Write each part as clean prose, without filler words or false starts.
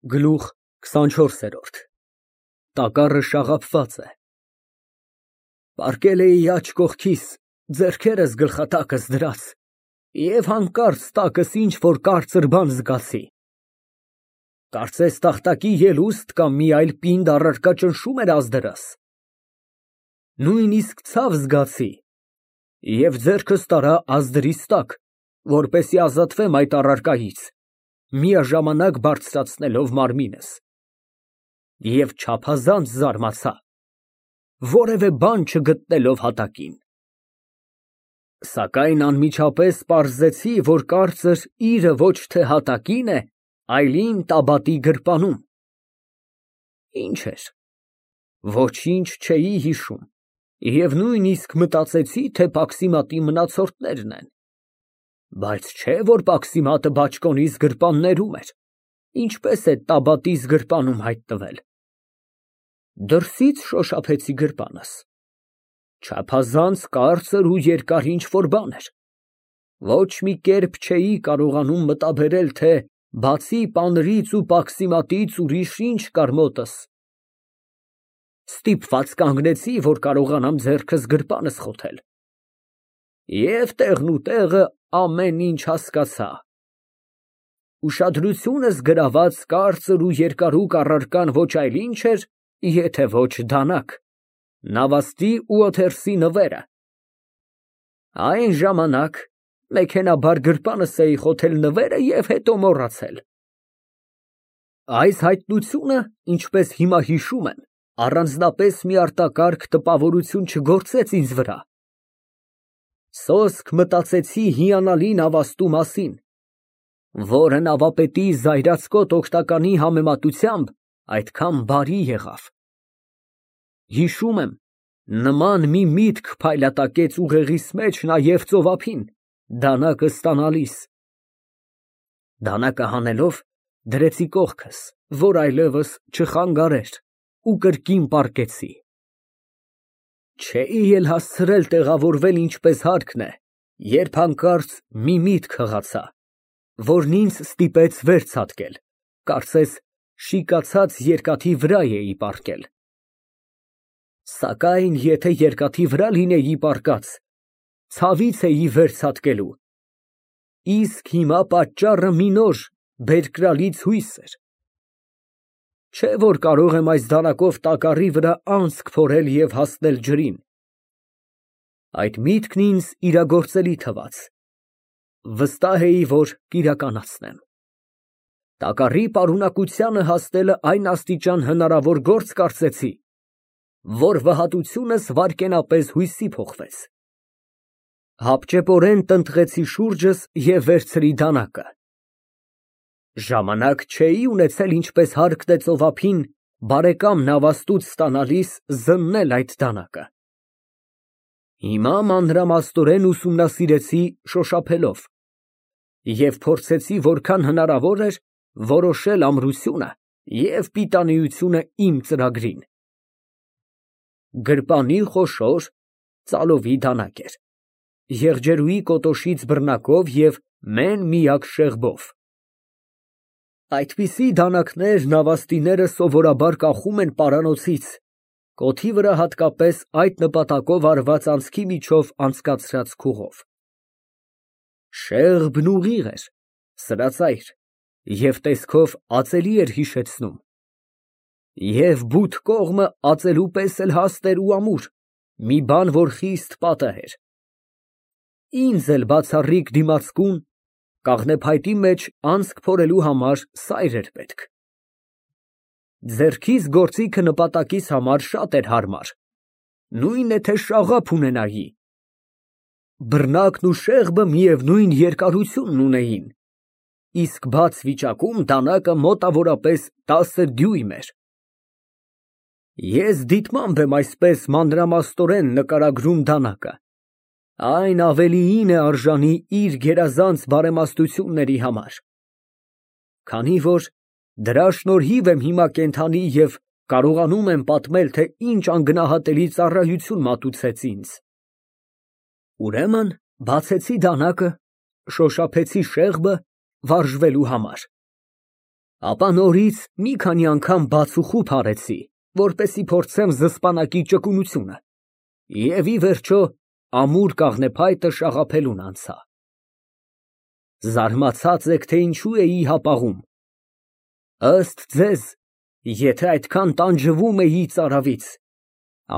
Գլուխ 24 Տակառը շաղափված է։ Պառկել էի աջ կողքիս, ձեռքերս գլխատակս դրած, և հանկարծ տակս ինչ֊որ կարծր բան զգացի, կարծես տախտակի ելուստ կամ մի այլ պինդ առարկա ճնշում էր ազդրս։ Նույնիսկ ցավ զգացի և ձեռքս տարա ազդրիս տակ, որպեսզի ազատվեմ այդ առարկայից, միաժամանակ բարձրացնելով մարմինս, և չափազանց զարմացա, որևէ բան չգտնելով հատակին։ Սակայն անմիջապես պարզեցի, որ կարծր իրը ոչ թե հատակին է, այլ իմ տաբատի գրպանում։ Ինչ էր, ոչինչ չէի հիշում և նույնիսկ մտածեցի, թե պաքսիմատի մնացորդներն են, բայց չէ որ պաքսիմատը բաճկոնիս գրպաններում էր, ինչպես է տաբատիս գրպանում հայտնվել։ Դրսից շոշափեցի գրպանս, չափազանց կարծր ու երկար ինչ֊որ բան էր, ոչ մի կերպ չէի կարողանում մտաբերել, թե բացի պանրից ու պաքսիմատից ուրիշ ինչ կար մոտս։ Ստիպված կանգնեցի, որ կարողանամ ձեռքս գրպանս խոթել, և տեղնուտեղը ամեն ինչ հասկացա։ Ուշադրությունս գրաված կարծր ու երկարուկ առարկան ոչ այլ ինչ էր, եթե ոչ դանակ, նավաստի ու օթերսի նվերը։ Այն ժամանակ մեքենայաբար գրպանս էի խոթել նվերը և հետո մոռացել։ Այս հայտնությունը, ինչպես հիմա հիշում եմ, առանձնապես մի արտակարգ տպավորություն չգործեց ինձ վրա։ Սոսկ մտածեցի հիանալի նավաստու մասին, որը նավապետի զայրացկոտ օգնականի համեմատությամբ այդքան բարի եղավ։ Հիշում եմ, նման մի միտք փայլատակեց ուղեղիս մեջ նաև ծովափին, դանակը ստանալիս։ Դանակը հանելով, դրեցի կողքս, որ այլևս չխանգարեր, ու կրկին պառկեցի։ Չէի էլ հասցրել տեղավորվել ինչպես հարկն է, երբ հանկարծ մի միտք հղացա, որն ինձ ստիպեց վեր ցատկել, կարծես շիկացած երկաթի վրա էի պառկել։ Սակայն եթե երկաթի վրա լինեի պառկած, ցավից էի վեր ցատկելու, իսկ հիմա պատճառը մի նոր բերկրալից հույս էր։ Չէ որ կարող եմ այս դանակով տակառի վրա անցք փորել և հասնել ջրին։ Այդ միտքն ինձ իրագործելի թվաց, վստահ էի, որ կիրականացնեմ։ Տակառի պարունակությանը հասնելը այն աստիճան հնարավոր գործ կարծեցի, որ վհատությունս վայրկենապես հույսի փոխվեց։ Հապճեպորեն տնտղեցի շուրջս և վերցրի դանակը։ Ժամանակ չէի ունեցել ինչպես հարկն է ծովափին, բարեկամ նավաստուց ստանալիս զննել այդ դանակը։ Հիմա մանրամասնորեն ուսումնասիրեցի շոշափելով և փորձեցի որքան հնարավոր էր որոշել ամրությունը և պիտանիությունը իմ ծրագրին։ Գրպանի խոշոր ծալովի դանակ էր, եղջերուի կոտոշից բռնակով և մեն֊միակ շեղբով։ Այդպիսի դանակներ նավաստիները սովորաբար կախում են պարանոցից, կոթի վրա հատկապես այդ նպատակով արված անցքի միջով անցկացրած քուղով։ Շեղբն ուղիղ էր, սրածայր և տեսքով ածելի էր հիշեցնում, և բութ կողմը ածելու պես էլ հաստ էր ու ամուր, մի բան, որ խիստ պատահ էր։ Ինձ էլ բացառիկ դիմացկուն, կաղնեփայտի մեջ անցք փորելու համար սայր էր պետք։ Ձեռքիս գործիքը նպատակիս համար շատ էր հարմար, նույն է թե շաղափ ունենայի։ Բռնակն ու շեղբը միևնույն երկարությունն ունեին, իսկ բաց վիճակում դանակը մոտավորապես 10 դյույմ էր։ Ես դիտմամբ եմ այսպես մանրամասնորեն նկարագրում դանակը, այն ավելիին է արժանի իր գերազանց բարեմաստությունների համար, քանի որ դրա շնորհիվ եմ հիմա կենդանի և կարողանում եմ պատմել, թե ինչ անգնահատելի ծառայություն մատուցեց ինձ։ Ուրեմն բացեցի դանակը, շոշափեցի շեղբը վարժվելու համար։ Ապա նորից մի քանի անգամ բացուխուփ արեցի, որպեսի փորձեմ զսպանակի ճկունությունը, և ի վերջո ամուր կաղնեփայտը շաղափելուն անցա։ Զարմացած եք, թե ինչու էի հապաղում։ Ըստ ձեզ, եթե այդքան տանջվում էի ծարավից,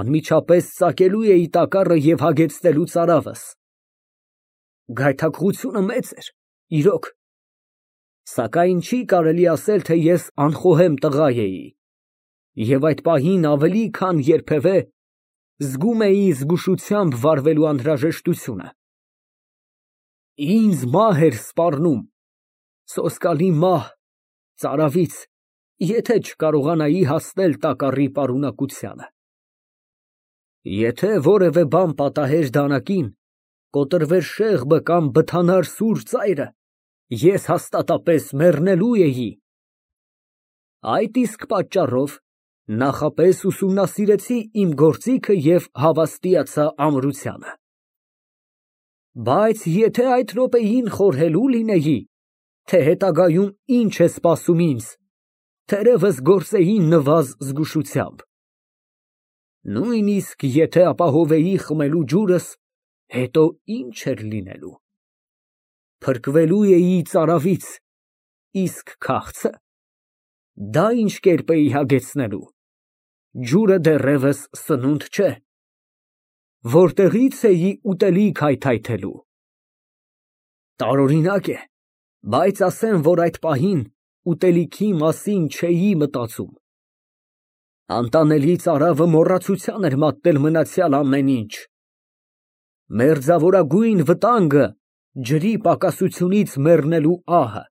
անմիջապես ծակելու էի տակառը և հագեցնելու ծարավս։ Գայթակղությունը մեծ էր, իրոք, սակայն չի կարելի ասել, թե ես անխոհեմ տղա էի, և այդ պահին ավելի քան երբևէ զգում էի զգուշությամբ վարվելու անհրաժեշտությունը։ Ինձ մահ էր սպառնում, սոսկալի մահ, ծարավից, եթե չկարողանայի հասնել տակառի պարունակությանը։ Եթե որևէ բան պատահեր դանակին, կոտրվեր շեղբը կամ բթանար սուր ծայրը, ես հաստատապես մեռնելու էի։ Այդ իսկ պատճառով նախապես ուսումնասիրեցի իմ գործիքը և հավաստիացա ամրությանը։ Բայց եթե այդ րոպեին խորհելու լինեի, թե հետագայում ինչ է սպասում ինձ, թերևս գործեի նվազ զգուշությամբ։ Նույնիսկ եթե ապահովեի խմելու ջուրս, հետո ինչ էր լինելու։ Փրկվելու էի ծարավից, իսկ քաղցը, դա ինչ կերպ էի հագեցնելու։ Ջուրը դեռևս սնունդ չէ։ Որտեղի՞ց էի ուտելիք հայթայթելու։ Տարօրինակ է, բայց ասեմ, որ այդ պահին ուտելիքի մասին չէի մտածում։ Անտանելի ծարավը մոռացության էր մատնել մնացյալ ամեն ինչ։ Մերձավորագույն վտանգը ջրի պակասությունից մեռնելու ահը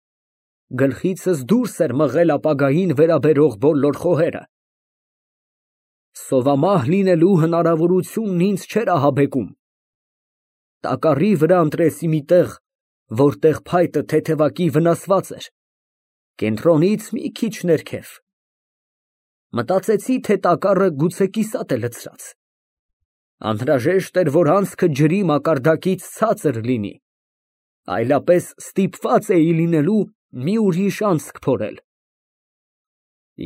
գլխիցս դուրս էր մղել ապագային վերաբերող բոլոր խոհերը։ Սովամահ լինելու հնարավորությունն ինձ չէր ահաբեկում։ Տակառի վրա ընտրեցի մի տեղ, որտեղ փայտը թեթևակի վնասված էր, կենտրոնից մի քիչ ներքև։ Մտածեցի, թե տակառը գուցե կիսատ է լցրած։ Անհրաժեշտ էր, որ անցքը ջրի մակարդակից ցածր լինի, այլապես ստիպված էի լինելու մի ուրիշ անցք փորել։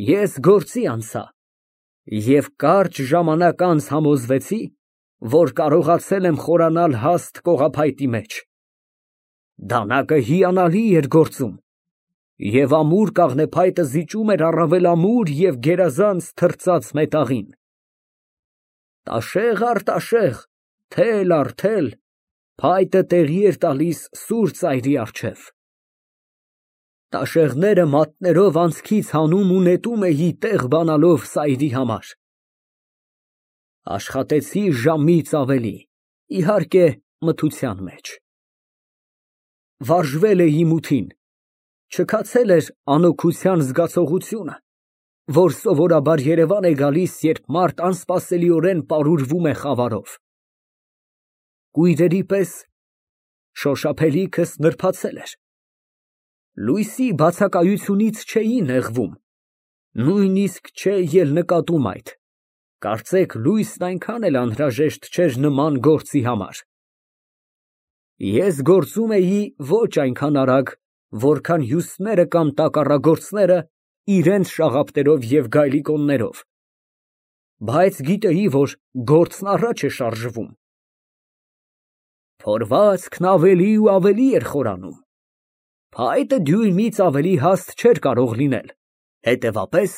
Ես գործի անցա և կարճ ժամանակ անց համոզվեցի, որ կարողացել եմ խորանալ հաստ կողափայտի մեջ։ Դանակը հիանալի էր գործում, և ամուր կաղնեփայտը զիջում էր առավել ամուր և գերազանց թրծած մետաղին։ Տաշեղ առ տաշեղ, թել առ թել, փայտը տեղի էր տալիս սուր ծայրի առջև։ Տաշեղները մատներով անցքից հանում ու նետում էի տեղ բանալով սայրի համար։ Աշխատեցի ժամից ավելի, իհարկե, մթության մեջ։ Վարժվել էի մութին, չքացել էր անօգուտության զգացողությունը, որ սովորաբար երևան է գալիս, երբ մարդ անսպասելիորեն պարուրվում է խավարով։ Կույրերի պես շոշափելիքս նրբացել էր։ Լույսի բացակայությունից չէի նեղվում, նույնիսկ չէի էլ նկատում այդ, կարծեք լույսն այնքան էլ անհրաժեշտ չէր նման գործի համար։ Ես գործում էի ոչ այնքան արագ, որքան հյուսները կամ տակառագործները իրենց շաղապներով և գայլիկոններով, բայց գիտեի, որ գործն առաջ է շարժվում։ Փորվածքն ավելի ու ավելի էր խորանում, փայտը դյույնից ավելի հաստ չէր կարող լինել, հետևապես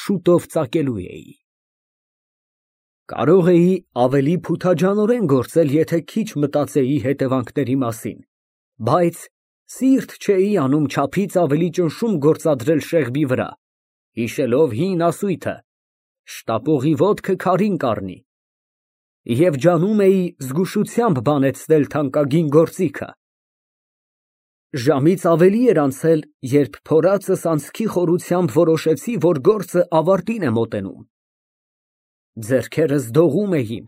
շուտով ծակելու էի։ Կարող էի ավելի փութաջանորեն գործել, եթե քիչ մտածեի հետևանքների մասին, բայց սիրտ չէի անում չափից ավելի ճնշում գործադրել շեղբի վրա, հիշելով հին ասույթը. «Շտապողի ոտքը քարին կառնի», և ջանում էի զգուշությամբ բանեցնել թանկագին գործիքը։ Ժամից ավելի էր անցել, երբ փորածս անցքի խորությամբ որոշեցի, որ գործը ավարտին է մոտենում։ Ձեռքերս դողում էին,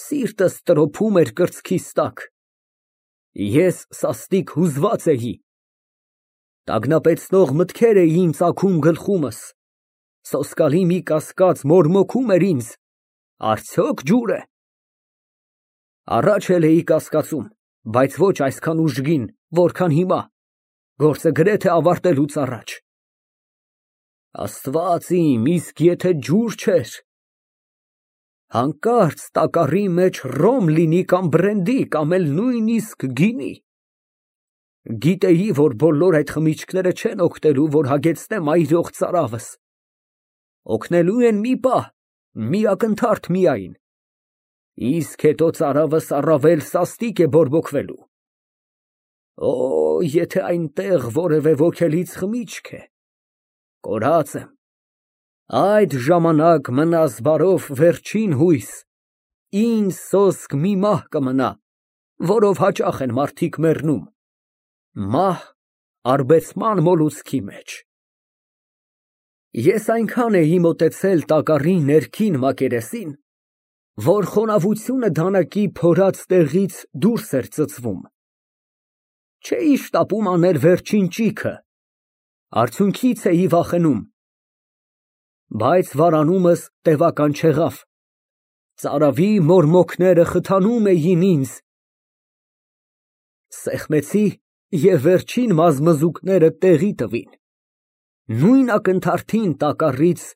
սիրտս տրոփում էր կրծքիս տակ։ Ես սաստիկ հուզված էի։ Տագնապեցնող մտքեր էին ծագում գլխումս, սոսկալի մի կասկած մորմոքում էր ինձ. արդյոք ջուր է։ Առաջ էլ էի կասկածում, բայց ոչ այսքան ուժգին, որքան հիմա, գործը գրեթե ավարտելուց առաջ։ Աստված իմ, իսկ եթե ջուր չէր, հանկարծ տակառի մեջ ռոմ լինի կամ բրենդի կամ էլ նույնիսկ գինի, գիտեի, որ բոլոր այդ խմիչքները չեն օգնելու, որ հագեցնեմ այրող ծարավս, օգնելու են մի պահ, մի ակնթարթ միայն, իսկ հետո ծարավս առավել սաստիկ է բորբոքվելու։ Օ, եթե այնտեղ որևէ ոգելից խմիչք է, կորած եմ, այդ ժամանակ մնաս բարով վերջին հույս, ինձ սոսկ մի մահ կմնա, որով հաճախ են մարդիկ մեռնում, մահ արբեցման մոլուցքի մեջ։ Ես այնքան էի մոտեցել տակառի ներքին մակերեսին, որ խոնավությունը դանակի փորած տեղից դուրս էր ծծվում, չէի շտապում անել վերջին ճիգը, արդյունքից էի վախենում, բայց վարանումս տևական չեղավ, ծարավի մորմոքները խթանում էին ինձ, սեղմեցի և վերջին մազմզուկները տեղի տվին, նույն ակնթարթին տակառից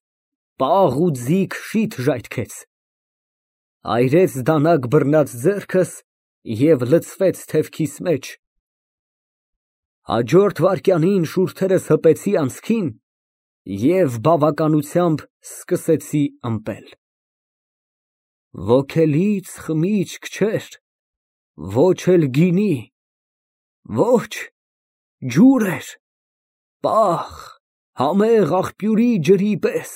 պաղ ու ձիգ շիթ ժայթքեց, այրեց դանակ բռնած ձեռքս և լցվեց թևքիս մեջ, հաջորդ վայրկյանին շուրթերս հպեցի անցքին և բավականությամբ սկսեցի ըմպել։ Ոգելից խմիչք չէր, ոչ էլ գինի, ոչ, ջուր էր, պաղ, համեղ աղբյուրի ջրի պես։